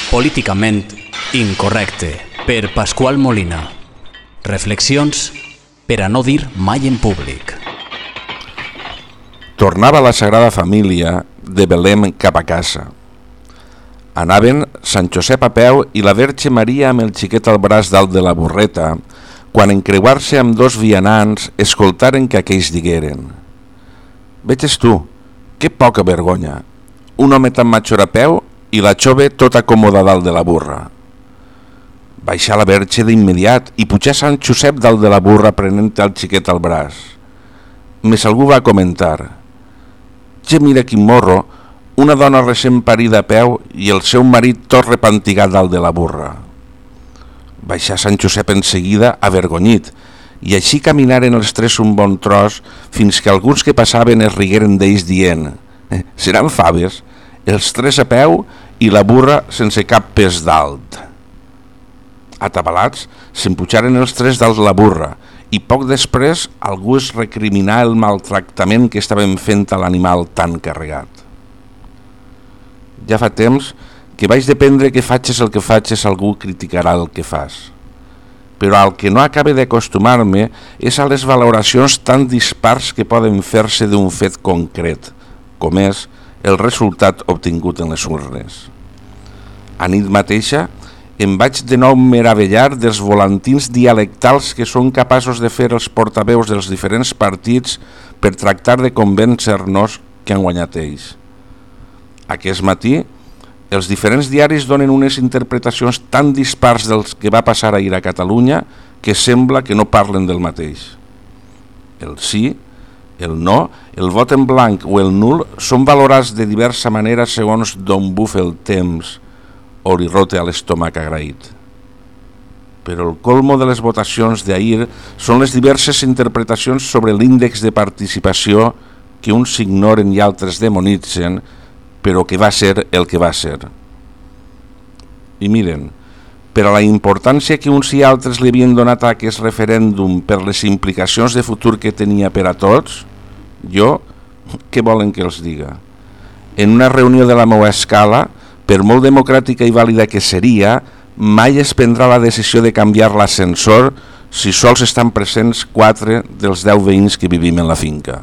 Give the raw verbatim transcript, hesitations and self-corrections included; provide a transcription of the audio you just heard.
Políticament incorrecte, per Pasqual Molina. Reflexions per a no dir mai en públic. Tornava la Sagrada Família de Belém cap a casa. Anaven Sant Josep a peu i la Verge Maria amb el xiquet al braç dalt de la burreta, quan en creuar-se amb dos vianants escoltaren que aquells digueren: «Veges tu, que poca vergonya, un home tan matxor a peu i la jove tot acomoda dalt de la burra». Baixar la Verge d'immediat i pujar Sant Josep dalt de la burra prenent el xiquet al braç. Més algú va comentar: «Ja mira quin morro, una dona recent parida a peu i el seu marit tot repantigat dalt de la burra». Baixar Sant Josep en seguida avergonyit, i així caminaren els tres un bon tros fins que alguns que passaven es rigueren d'ells dient: «Seran faves, els tres a peu i la burra sense cap pes dalt». Atabalats, s'empujaren els tres dalt la burra i poc després algú es recriminà el maltractament que estaven fent a l'animal tan carregat. Ja fa temps que vaig dependre que facis el que facis, algú criticarà el que fas. Però al que no acabe d'acostumar-me és a les valoracions tan dispars que poden fer-se d'un fet concret, com és el resultat obtingut en les urnes. A nit mateixa em vaig de nou meravellar dels volantins dialectals que són capaços de fer els portaveus dels diferents partits per tractar de convèncer-nos que han guanyat ells. Aquest matí, els diferents diaris donen unes interpretacions tan dispars dels que va passar ahir a Catalunya que sembla que no parlen del mateix. El sí, el no, el vot en blanc o el nul són valorats de diversa manera segons d'on bufa el temps o li rote a l'estómac agraït. Però el colmo de les votacions d'ahir són les diverses interpretacions sobre l'índex de participació que uns ignoren i altres demonitzen, però que va ser el que va ser. I miren, per a la importància que uns i altres li havien donat a aquest referèndum per les implicacions de futur que tenia per a tots, jo, què volen que els diga? En una reunió de la meva escala, per molt democràtica i vàlida que seria, mai es prendrà la decisió de canviar l'ascensor si sols estan presents quatre dels deu veïns que vivim en la finca.